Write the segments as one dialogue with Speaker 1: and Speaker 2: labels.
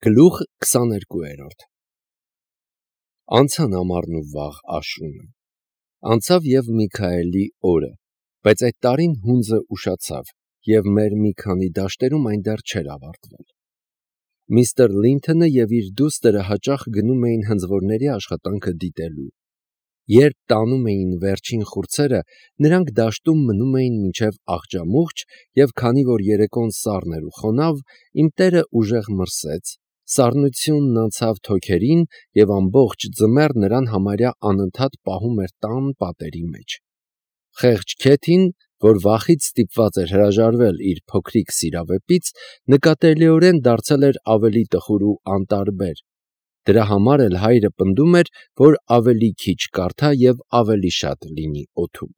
Speaker 1: Գլուխ 22 Անցան ամառն ու վաղ աշունը, անցավ և Միքայելի օրը, բայց այդ տարին հունձը ուշացավ, և մեր մի քանի դաշտերում այն դեռ չէր ավարտվել։ Միստր Լինթոնը և իր դուստրը հաճախ գնում էին հնձվորների աշխատանքը դիտելու։ Երբ տանում էին վերջին խուրձերը, նրանք դաշտում մնում էին մինչև աղջամուղջ, և քանի որ երեկոն սառն էր ու խոնավ, իմ տերը ուժեղ մրսեց, սառնությունն անցավ թոքերին, և ամբողջ ձմեռ նրան համարյա անընդհատ պահում էր տան պատերի մեջ։ Խեղճ Քեթին, որ վախից ստիպված էր հրաժարվել իր փոքրիկ սիրավեպից, նկատելիորեն դարձել էր ավելի տխուր ու անտարբեր։ Դրա համար էլ հայրը պնդում էր, որ ավելի քիչ կարդա և ավելի շատ լինի օդում։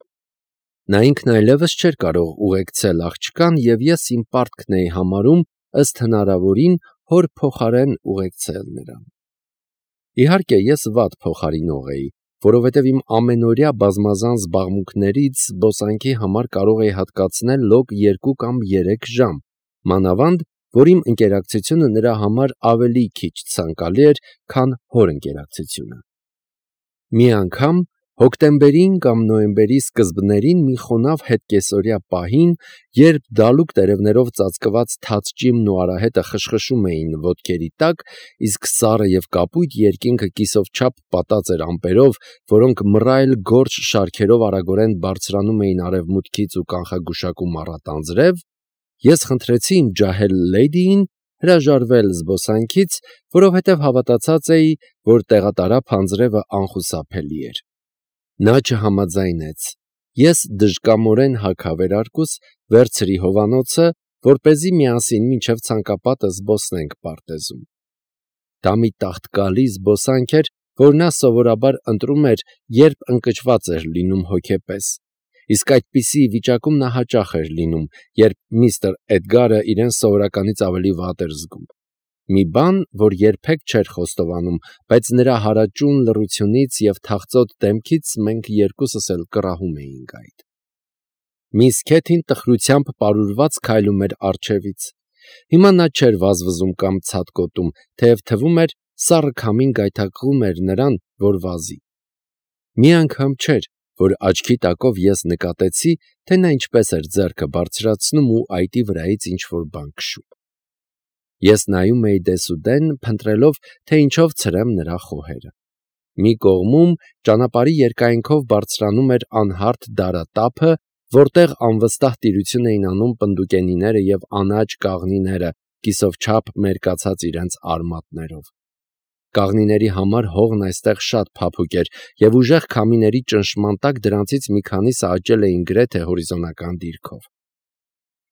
Speaker 1: Նա ինքն այլևս չէր կարող ուղեկցել աղջկան, և ես իմ պարտքն էի համարում ըստ հնարավորին հոր փոխարեն ուղեկցել նրան։ Իհարկե, ես վատ փոխարինող էի, որովհետև իմ ամենօրյա բազմազան զբաղմունքներից զբոսանքի համար կարող էի հատկացնել լոկ 2 կամ 3 ժամ, մանավանդ, որ իմ ընկերակցությունը նրա համար ավելի քիչ ցանկալի էր, քան հոր ընկերակցությունը։ Մի անգամ հոկտեմբերին կամ նոյեմբերի սկզբներին մի խոնավ հետկեսօրյա պահին, երբ դալուկ տերևներով ծածկված թաց ճիմն ու արահետը խշխշում էին ոտքերի տակ, իսկ սառը և կապույտ երկինքը կիսով չափ պատած էր ամպերով, որոնք մռայլ գորշ շարքերով արագորեն բարձրանում էին արևմուտքից ու կանխագուշակում առատ անձրև, ես խնդրեցի իմ ջահել լեյդիին հրաժարվել զբոսանքից, որովհետև հավատացած էի, որ տեղատարափ անձրևը անխուսափելի էր։ Նա չհամաձայնեց։ Ես դժկամորեն հագավերարկուս վերցրի հովանոցը, որպեսզի միասին մինչև ցանկապատը զբոսնենք պարտեզում։ Դա մի տաղտկալի զբոսանք էր, որ նա սովորաբար ընտրում էր, երբ ընկճված էր լինում հոգեպես, իսկ այդպիսի վիճակում նա հաճախ էր լինում, երբ միստր Էդգարը իրեն սովորականից ավելի վատ էր զգում։ Մի բան, որ երբեք չէր խոստովանում, բայց նրա հարաճուն լռությունից և թախծոտ դեմքից մենք երկուսս էլ կռահում էինք այդ։ Միս Քեթին տխրությամբ պարուրված քայլում էր առջևից։ Հիմա նա չէր վազվզում կամ ցատկոտում, թեև թվում էր, սառը քամին գայթակղում էր նրան, որ վազի։ Մի անգամ չէր, որ աչքի տակով ես նկատեցի, թե նա ինչպես էր ձեռքը բարձրացնում ու այտի վրայից ինչ-որ բան քշում։ Ես նայում էի դեսուդեն, փնտրելով, թե ինչով ցրեմ նրա խոհերը։ Մի կողմում ճանապարհի երկայնքով բարձրանում էր անհարթ դարատափը, որտեղ անվստահ տիրություն էին անում պնդուկենիները և անաճ կաղնիները, կիսով չափ մերկացած իրենց արմատներով։ Կաղնիների համար հողն այստեղ շատ փափուկ էր, և ուժեղ քամիների ճնշման տակ դրանցից մի քանիսը աճել էին գրեթե հորիզոնական դիրքով։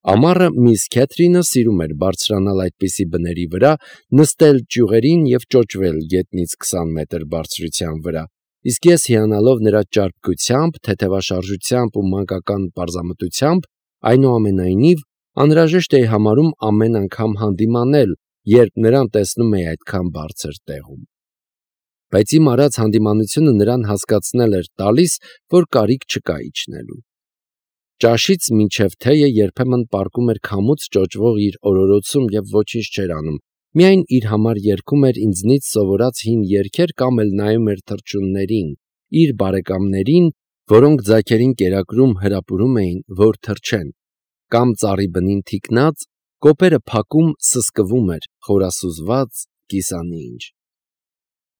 Speaker 1: Ամառը միս Քեթրինը սիրում էր բարձրանալ այդպիսի բների վրա, նստել ճյուղերին և ճոճվել գետնից 20 մետր բարձրության վրա, իսկ ես հիանալով նրա ճարպկությամբ, թեթևաշարժությամբ ու մանկական պարզամտությամբ, այնուամենայնիվ, անհրաժեշտ էի համարում ամեն անգամ հանդիմանել, երբ նրան տեսնում էի այդքան բարձր տեղում։ Բայց իմ արած հանդիմանությունը նրան հասկացնել էր տալիս, որ կարիք չկա իջնելու։ Ճաշից մինչև թեյը երբեմն պառկում էր քամուց ճոճվող իր օրորոցում և ոչինչ չէր անում, միայն իր համար երգում էր ինձնից սովորած հին երգեր կամ էլ նայում էր թռչուններին, իր բարեկամներին, որոնք ձագերին կերակրում հրապուրում էին, որ թռչեն, կամ ծառի բնին թիկնած, կոպերը փակում սսկվում էր, խորասուզված, կիսանինջ։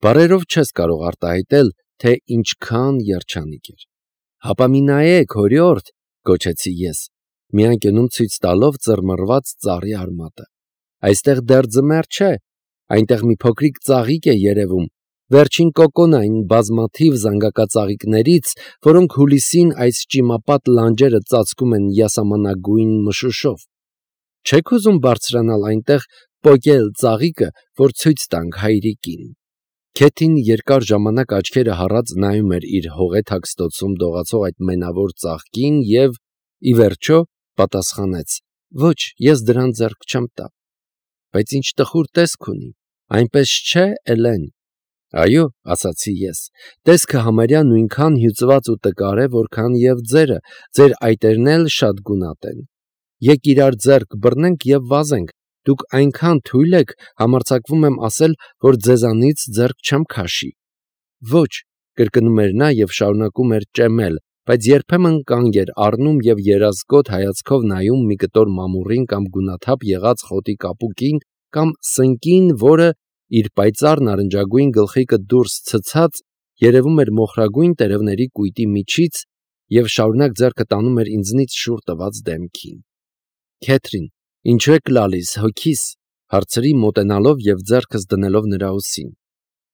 Speaker 1: Բառերով չես կարող արտահայտել, թե ինչքան երջանիկ էր։ Հապա մի նայեք, հորիորդ, գոչեցի ես, մի անկյունում ցույց տալով ծռմռված ծառի արմատը։ Այստեղ դեռ ձմեռ չէ, այնտեղ մի փոքրիկ ծաղիկ է երևում, վերջին կոկոն այն բազմաթիվ զանգակածաղիկներից, որոնք հուլիսին այս ճիմապատ լանջերը ծածկում են յասամանագույն մշուշով։ Չե՞ք ուզում բարձրանալ այնտեղ, պոկել ծաղիկը, որ ցույց տանք հայրիկին։ Քեթին երկար ժամանակ աչքերը հառած նայում էր իր հողեթաքստոցում դողացող այդ մենավոր ծաղկին և, ի վերջո, պատասխանեց. «Ոչ, ես դրան ձեռք չեմ տա»։ «Բայց ինչ տխուր տեսք ունի, այնպես չէ, Էլեն»։ «Այո», ասացի ես, տեսքը համարյա նույնքան հյուծված ու տկար է, որքան և ձերը, ձեր այտերն էլ շատ գունատ են։ Եկ իրար ձեռք բռնենք և վազենք, Դուք այնքան թույլ եք, համարձակվում եմ ասել, որ ձեզանից ձեռք չեմ քաշի։ Ոչ, կրկնում էր նա և շարունակում էր ճեմել, բայց երբեմն կանգ էր առնում և երազկոտ հայացքով նայում մի կտոր մամուռին կամ գունաթափ եղած խոտի կապուկին կամ սնկին, որը, իր պայծառ նարնջագույն գլխիկը դուրս ցցած, երևում էր մոխրագույն տերևների կույտի միջից և շարունակ ձեռքը տանում էր ինձնից շուռ տված դեմքին։ Քեթրին, ինչու եք լալիս, հոգիս, հարցրի մոտենալով և ձեռքս դնելով նրա ուսին։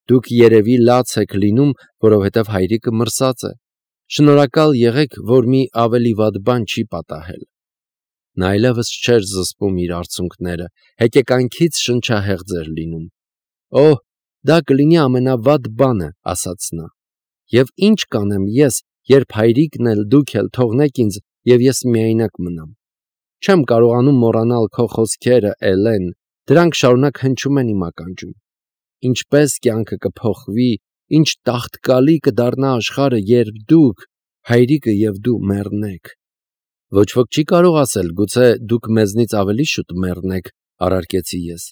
Speaker 1: Դուք երևի լաց եք լինում, որովհետև հայրիկը մրսած է։ Շնորհակալ եղեք, որ մի ավելի վատ բան չի պատահել։ Նա այլևս չէր զսպում իր արցունքները, հեկեկանքից շնչահեղձ էր լինում։ Օհ, դա կլինի ամենավատ բանը, ասաց նա։ Եվ ինչ կանեմ ես, երբ հայրիկն էլ դուք էլ թողնեք ինձ, և ես միայնակ մնամ։ Չեմ կարողանում մոռանալ քո խոսքերը, Էլեն, դրանք շարունակ հնչում են իմ ականջում։ Ինչպես կյանքը կփոխվի, ինչ տաղտկալի կդառնա աշխարհը, երբ դուք, հայրիկը և դու մեռնեք։ Ոչ ոք չի կարող ասել, գուցե դուք մեզնից ավելի շուտ մեռնեք, առարկեցի ես։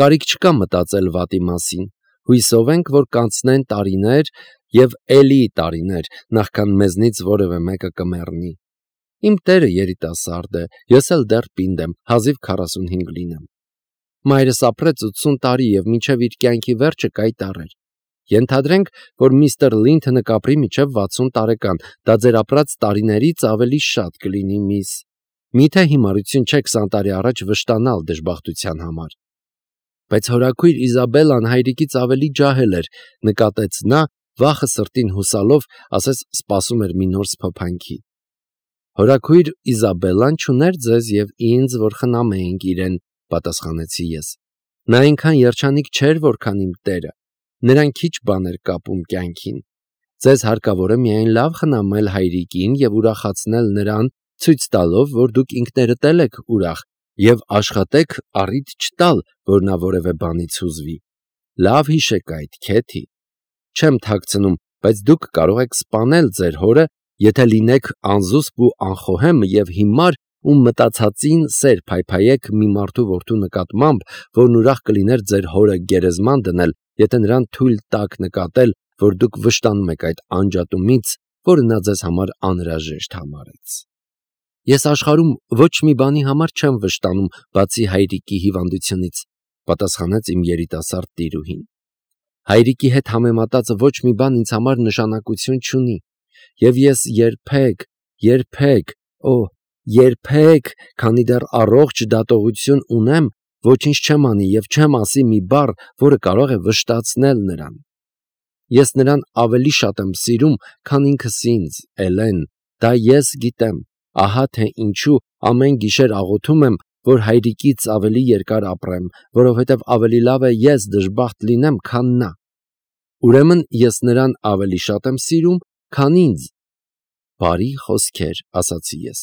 Speaker 1: Կարիք չկա մտածել վատի մասին։ Հույսով ենք, որ կանցնեն տարիներ և էլի տարիներ, նախքան մեզնից որևէ մեկը կմեռնի։ Իմ տերը երիտասարդ է, ես էլ դեռ պինդ եմ, հազիվ 45 լինեմ։ Մայրս ապրեց 80 տարի և մինչև իր կյանքի վերջը կայտառ էր։ Ենթադրենք, որ միստր Լինթոնը կապրի մինչև 60 տարեկան, դա ձեր ապրած տարիներից ավելի շատ կլինի, միս։ Միթե հիմարություն չէ 20 տարի առաջ վշտանալ դժբախտության համար։ Բայց հորաքույր Իզաբելլան հայրիկից ավելի ջահել էր, նկատեց նա, վախը սրտին հուսալով, ասես սպասում էր մի նոր սփոփանքի։ Հորաքույր Իզաբելլան չուներ ձեզ և ինձ, որ խնամեինք իրեն, պատասխանեցի ես։ Նա այնքան երջանիկ չէր, որքան իմ տերը։ Նրան քիչ բան էր կապում կյանքին։ Ձեզ հարկավոր է միայն լավ խնամել հայրիկին և ուրախացնել նրան, ցույց տալով, որ դուք ինքներդ էլ եք ուրախ, և աշխատեք առիթ չտալ, որ նա որևէ բանից հուզվի։ Լավ հիշեք այդ, Քեթի։ Չեմ թաքցնում, բայց դուք կարող եք սպանել ձեր հորը, եթե լինեք անզուսպ ու անխոհեմ և հիմար ու մտածածին սեր փայփայեք մի մարդու որդու նկատմամբ, որն ուրախ կլիներ ձեր հորը գերեզման դնել, եթե նրան թույլ տաք նկատել, որ դուք վշտանում եք այդ անջատումից, որը նա ձեզ համար անհրաժեշտ համարեց։ Ես աշխարհում ոչ մի բանի համար չեմ վշտանում, բացի հայրիկի հիվանդությունից, պատասխանեց իմ երիտասարդ տիրուհին։ Հայրիկի հետ համեմատած ոչ մի բան ինձ համար նշանակություն չունի, և ես երբեք, քանի դեռ առողջ դատողություն ունեմ, ոչինչ չեմ անի և չեմ ասի մի բառ, որը կարող է վշտացնել նրան։ Ես նրան ավելի շատ եմ սիրում, քան ինքս ինձ, Էլեն, դա ես գիտեմ, ահա թե ինչու ամեն գիշեր աղոթում եմ, որ հայրիկից ավելի երկար ապրեմ, որովհետև ավելի լավ է ես դժբախտ լինեմ, քան նա։ Ուրեմն ես նրան ավելի շատ եմ սիրում, քան ինձ։ Բարի խոսքեր, ասացի ես,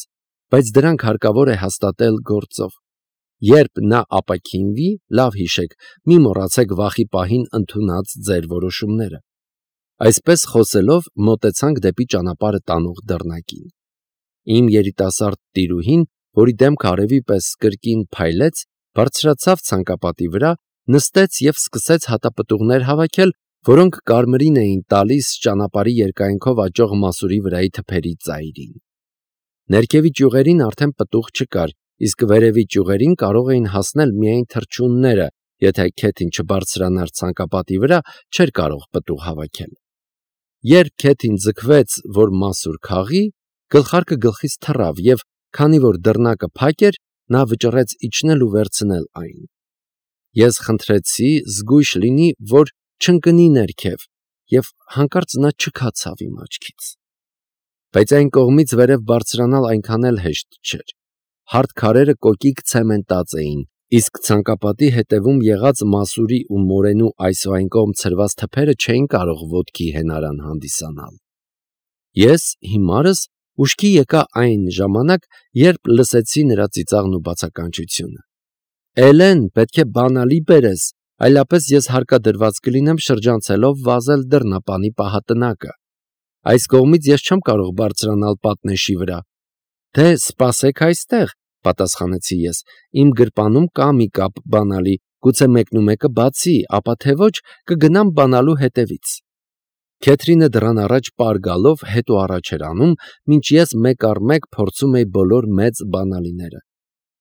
Speaker 1: բայց դրանք հարկավոր է հաստատել գործով։ Երբ նա ապաքինվի, լավ հիշեք, մի մոռացեք վախի պահին ընդունած ձեր որոշումները։ Այսպես խոսելով մոտեցանք դեպի ճանապարհը տանող դռնակին։ Իմ երիտասարդ տիրուհին, որի դեմքը արևի պես կրկին փայլեց, բարձրացավ ցանկապատի վրա, նստեց և սկսեց հատապտուղներ հավաքել, որոնք կարմիրին էին տալիս ճանապարհի երկայնքով աճող մասուրի վրայի թփերի ծայրին։ Ներքևի ճյուղերին արդեն պտուղ չկար, իսկ վերևի ճյուղերին կարող էին հասնել միայն թռչունները, եթե Քեթին չբարձրանար ցանկապատի վրա, չէր կարող պտուղ հավաքել։ Երբ Քեթին ձգվեց, որ մասուր քաղի, գլխարկը գլխից թռավ և, քանի որ դռնակը փակ էր, նա վճռեց իջնել ու վերցնել այն։ Ես խնդրեցի զգույշ լինի, որ չընկնի ներքև, և հանկարծ նա չքացավ իմ աչքից։ Բայց այն կողմից վերև բարձրանալ այնքան էլ հեշտ չէր։ Հարթ քարերը կոկիկ ցեմենտած էին, իսկ ցանկապատի հետևում եղած մասուրի ու մորենու այս ու այն կողմ ցրված թփերը չէին կարող ոտքի հենարան հանդիսանալ։ Ես հիմարս ուշքի եկա այն ժամանակ, երբ լսեցի նրա ծիծաղն ու բացականչությունը։ Էլեն, պետք է բանալի բերես, այլապես ես հարկադրված կլինեմ շրջանցելով վազել դռնապանի պահատնակը։ Այս կողմից ես չեմ կարող բարձրանալ պատնեշի վրա։ Դե սպասեք այստեղ, պատասխանեցի ես, իմ գրպանում կա մի կապ բանալի, գուցե մեկնումեկը բացի, ապա թե ոչ կգնամ բանալու հետևից։ Քեթրինը դռան առաջ պարգալով հետ ու առաջ էր անում, մինչ ես մեկ առ մեկ փորձում էի բոլոր մեծ բանալիները։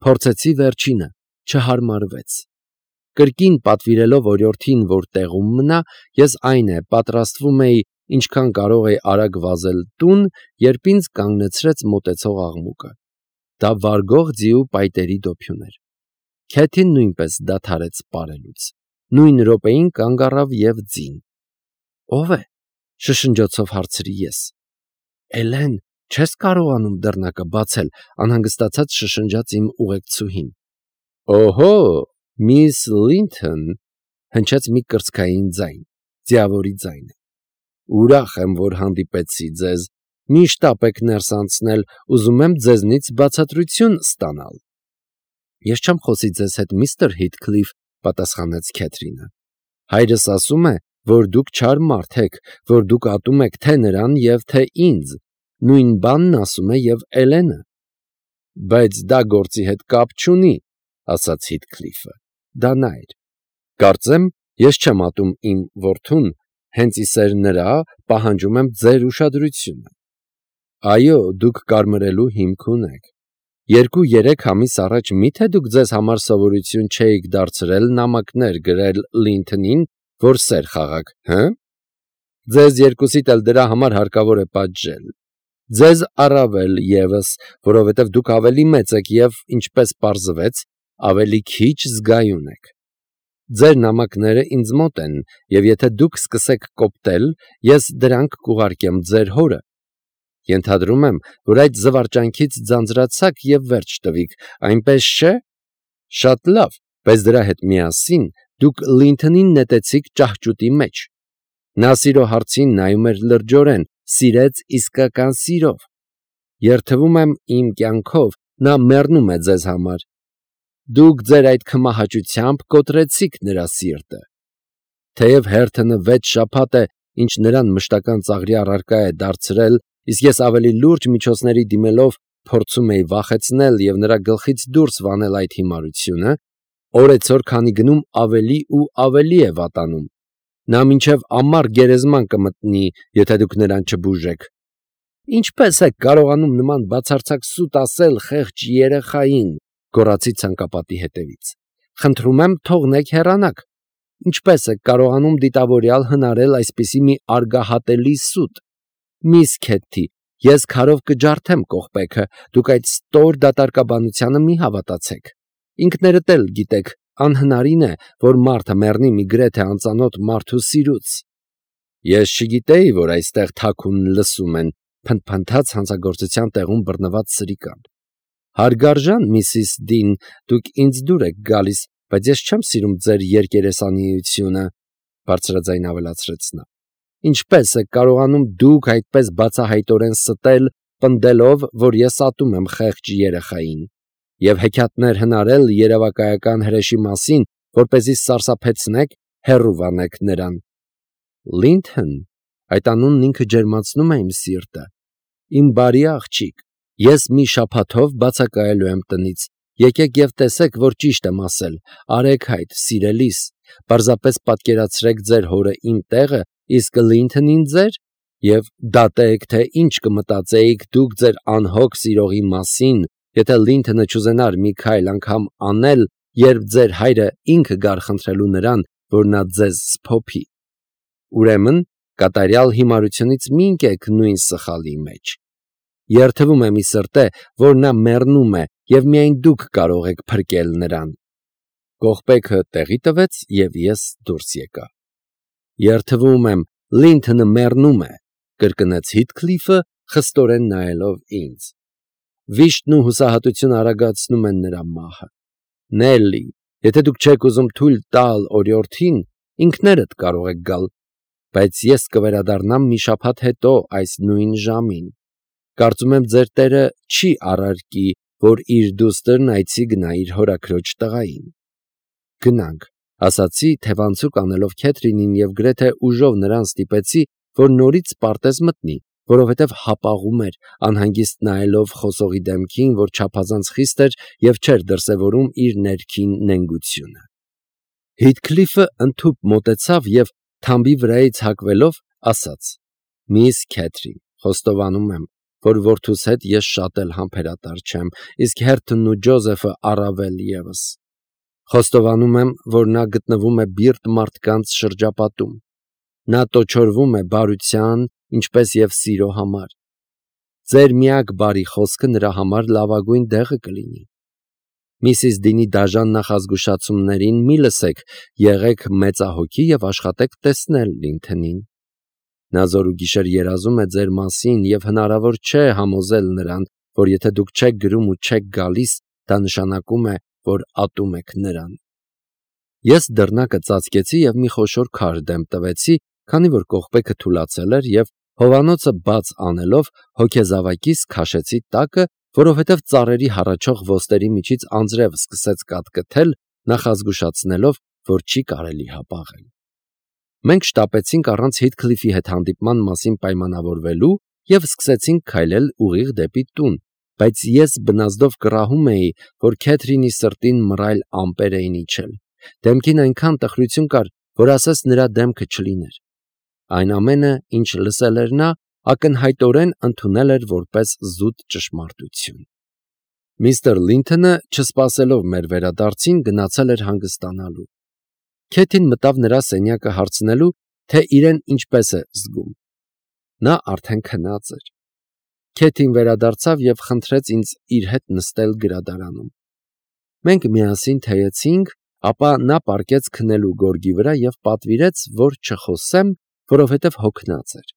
Speaker 1: Փորձեցի վերջինը, չհարմարվեց։ Կրկին պատվիրելով օրիորդին, որ տեղում մնա, ես այն է պատրաստվում էի ինչքան կարող էի արագ վազել տուն, երբ ինձ կանգնեցրեց մոտեցող աղմուկը։ Դա վարգող ձիու պայտերի դոփյուն էր։ Քեթին նույնպես դադարեց պարելուց։ Նույն րոպեին կանգ առավ և ձին։ Ո՞վ է, շշնջոցով հարցրի ես։ Էլեն, չես կարողանում դռնակը բացել, անհանգստացած շշնջաց իմ ուղեկցուհին։ Օհո, միս Լինթոն, հնչեց մի կրծքային ձայն, ձիավորի ձայնը։ Ուրախ եմ, որ հանդիպեցի ձեզ, մի շտապ եք ներս անցնել, ուզում եմ ձեզնից բացատրություն ստանալ։ Ես չեմ խոսի ձեզ հետ, միստր Հիթքլիֆ, պատասխանեց Քեթրինը։ Հայրս ասում է, որ դուք չար մարդ եք, որ դուք ատում եք թե նրան և թե ինձ, նույն բանն ասում է և Էլենը։ Բայց դա գործի հետ կապ չունի, ասաց Հիթքլիֆը, դա նա էր։ Կարծեմ, ես չեմ ատում իմ որդուն, հենց իսեր նրա պահանջում եմ ձեր ուշադրությունը։ Այո, դուք կարմրելու հիմք ունեք։ 2-3 ամիս առաջ մի՞թե դուք ձեզ համար սովորություն չէիք դարձրել նամակներ գրել Լինթոնին, որ սեր խաղաք, հը՞։ Ձեզ երկուսիդ էլ դրա համար հարկավոր է պատժել։ Ձեզ առավել ևս, որովհետև դուք ավելի մեծ եք և, ինչպես պարզվեց, ավելի քիչ զգայուն եք։ Ձեր նամակները ինձ մոտ են, և եթե դուք սկսեք կոպտել, ես դրանք կուղարկեմ ձեր հորը։ Ենթադրում եմ, որ այդ զվարճանքից ձանձրացաք և վերջ տվիք, այնպես չէ։ Շատ լավ, բայց դրա հետ միասին դուք Լինթոնին նետեցիք ճահճուտի մեջ։ Նա սիրո հարցին նայում էր լրջորեն, սիրեց իսկական սիրով։ Երդվում եմ իմ կյանքով, նա մեռնում է ձեզ համար։ Դուք ձեր այդ քմահաճությամբ կոտրեցիք նրա սիրտը։ Թեև հերթը 6 շաբաթ է, ինչ նրան մշտական ծաղրի առարկա է դարձրել, իսկ ես ավելի լուրջ միջոցների դիմելով փորձում էի վախեցնել և նրա գլխից դուրս վանել այդ հիմարությունը, օրեցօր քանի գնում ավելի ու ավելի է վատանում։ Նա մինչև ամառ գերեզման կմտնի, եթե դուք նրան չբուժեք։ Ինչպե՞ս եք կարողանում նման բացարձակ սուտ ասել խեղճ երեխային, գոռացի ցանկապատի հետևից։ Խնդրում եմ, թողնեք հեռանաք։ Ինչպե՞ս եք կարողանում դիտավորյալ հնարել այսպիսի մի արգահատելի սուտ։ Միս Քեթի, ես քարով կջարդեմ կողպեքը, դուք այդ ստոր դատարկաբանությանը մի հավատացեք։ Ինքներդ էլ գիտեք, անհնարին է, որ մարդը մեռնի մի գրեթե անծանոթ մարդու սիրուց։ Ես չգիտեի, որ այստեղ թաքուն լսում են, փնթփնթաց հանցագործության տեղում բռնված սրիկան։ Հարգարժան Միսիս Դին, դուք ինձ դուր եք գալիս, բայց ես չեմ սիրում ձեր երկերեսանիությունը, բարձրաձայն ավելացրեց նա։ Ինչպե՞ս եք կարողանում դուք այդպես բացահայտորեն ստել, պնդելով, որ ես ատում եմ խեղճ երեխային, և հեքիաթներ հնարել երևակայական հրեշի մասին, որպեսզի սարսափեցնեք, հեռու վանեք նրան։ Լինթոն, այդ անունն ինքը ջերմացնում է իմ սիրտը։ Իմ բարի աղջիկ, ես մի շաբաթով բացակայելու եմ տնից։ Եկեք և տեսեք, որ ճիշտ եմ ասել, արեք հայտ, սիրելիս, պարզապես պատկերացրեք ձեր հորը իմ տեղը, իսկ Լինթոնին ձեր, և դատեք, թե ինչ կմտածեիք դուք ձեր անհոգ սիրողի մասին, եթե Լինթոնը չուզենար մի քայլ անգամ անել, երբ ձեր հայրը ինքը գար խնդրելու նրան, որ նա ձեզ սփոփի։ Ուրեմն, կատարյալ հիմարությունից մի ընկեք նույն սխալի մեջ։ Երդվում եմ ի սրտե, որ նա մեռնում է, և միայն դուք կարող եք փրկել նրան։ Կողպեքը տեղի տվեց, և ես դուրս եկա։ Երդվում եմ, Լինթոնը մեռնում է, կրկնեց Հիթքլիֆը, խստորեն նայելով ինձ։ Վիշտն ու հուսահատությունը արագացնում են նրա մահը։ Նելլի, եթե դուք չեք ուզում թույլ տալ օրիորդին, ինքներդ կարող եք գալ, բայց ես կվերադառնամ մի շաբաթ հետո այս նույն ժամին։ Կարծում եմ ձեր տերը չի առարկի, որ իր դուստրն այցի գնա իր հորաքրոջ տղային։ Գնանք, ասացի, թևանցուկ անելով Քեթրինին և գրեթե ուժով նրան ստիպեցի, որ նորից պարտեզ մտնի, որովհետև հապաղում էր, անհանգիստ նայելով խոսողի դեմքին, որ չափազանց խիստ էր և չէր դրսևորում իր ներքին նենգությունը։ Հիթքլիֆը ընդհուպ մոտեցավ և թամբի վրայից հակվելով ասաց. «Միս Քեթրին, խոստովանում եմ, որ որդուս հետ ես շատ էլ համբերատար չեմ, իսկ Հերթն ու Ջոզեֆը առավել ևս։ Խոստովանում եմ, որ նա գտնվում է բիրտ մարդկանց շրջապատում։ Նա տոչորվում է բարության, ինչպես և սիրո համար։ Ձեր միակ բարի խոսքը նրա համար լավագույն դեղը կլինի։ Միսիս Դինի դաժան նախազգուշացումներին մի լսեք, եղեք մեծահոգի և աշխատեք տեսնել Լինթոնին։ Նա զորուգիշեր երազում է ձեր մասին և հնարավոր չէ համոզել նրան, որ եթե դուք չեք գրում ու չեք գալիս, դա նշանակում է, որ ատում եք նրան»։ Ես դռնակը ծածկեցի և մի խոշոր քար դեմ տվեցի, քանի որ կողպեքը թուլացել էր, և հովանոցը բաց անելով հոգեզավակիս քաշեցի տակը, որովհետև ծառերի հառաչող ոստերի միջից անձրև սկսեց կատկթել, նախազգուշացնելով, որ չի կարելի հապաղել։ Մենք շտապեցինք առանց Հիթքլիֆի հետ հանդիպման մասին պայմանավորվելու և սկսեցինք քայլել ուղիղ դեպի տուն, բայց ես բնազդով կռահում էի, որ Քեթրինի սրտին մռայլ ամպեր էին իջել։ Դեմքին այնքան տխրություն կար, որ ասես նրա դեմքը չլիներ։ Այն ամենը, ինչ լսել էր նա, ակնհայտորեն ընդունել էր որպես զուտ ճշմարտություն։ Միստր Լինթոնը, չսպասելով մեր վերադարձին, գնացել էր հանգստանալու։ Քեթին մտավ նրա սենյակը հարցնելու, թե իրեն ինչպես է զգում։ Նա արդեն քնած էր։ Քեթին վերադարձավ և խնդրեց ինձ իր հետ նստել գրադարանում։ Մենք միասին թեյեցինք, ապա նա պառկեց քնելու գորգի վրա և պատվիրեց, որ չխոսեմ, որովհետև հոգնած էր։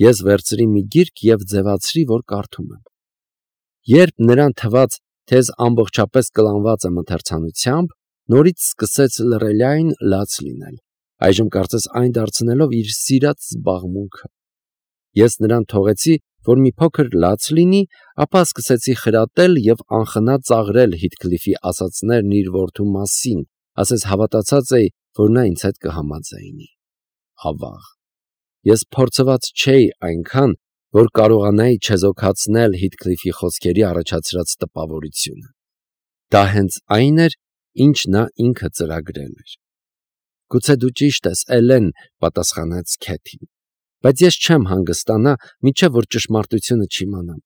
Speaker 1: Ես վերցրի մի գիրք և ձևացրի, որ կարդում եմ։ Երբ նրան թվաց, թե ես ամբողջապես կլանված եմ ընթերցանությամբ, նորից սկսեց լռելիայն լաց լինել, այժմ կարծես այն դարձնելով իր սիրած զբաղմունքը։ Ես նրան թողեցի, որ մի փոքր լաց լինի, ապա սկսեցի խրատել և անխնա ծաղրել Հիթքլիֆի ասածներն իր որդու մասին, ասես հավատացած էի, որ նա ինձ հետ կհամաձայնի։ Ավաղ։ Ես փորձված չէի այնքան, որ կարողանայի չեզոքացնել Հիթքլիֆի խոսքերի առաջացրած տպավորությունը։ Դա հենց այն էր, ինչ նա ինքը ծրագրել էր։ «Գուցե դու ճիշտ ես, Էլեն», պատասխանեց Քեթին, «բայց ես չեմ հանգստանա, մինչև որ ճշմարտությունը չիմանամ։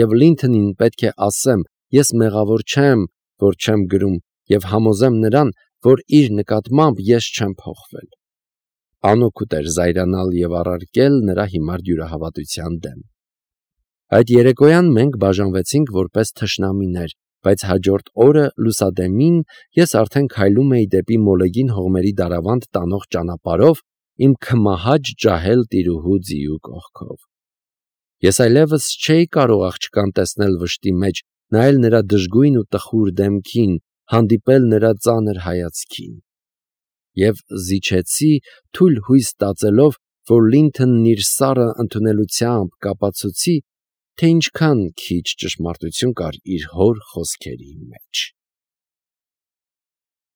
Speaker 1: Եվ Լինթոնին պետք է ասեմ, ես մեղավոր չեմ, որ չեմ գրում, և համոզեմ նրան, որ իր նկատմամբ ես չեմ փոխվել»։ Անօգուտ էր զայրանալ և առարկել նրա հիմար դյուրահավատության դեմ։ Այդ երեկոյան մենք բաժանվեցինք որպես թշնամիներ, բայց հաջորդ օրը լուսադեմին ես արդեն քայլում էի դեպի Մոլեգին հողմերի դարավանդ տանող ճանապարհով իմ քմահաճ ջահել տիրուհու ձիու կողքով։ Ես այլևս չէի կարող աղջկան տեսնել վշտի մեջ, նայել նրա դժգույն ու տխուր դեմքին, հանդիպել նրա ծանր հայացքին։ Եվ զիջեցի, թույլ հույս ստացելով, որ Լինթոնն իր սառը ընդունելությամբ կապացուցի, թե ինչքան քիչ ճշմարտություն կար իր հոր խոսքերի մեջ։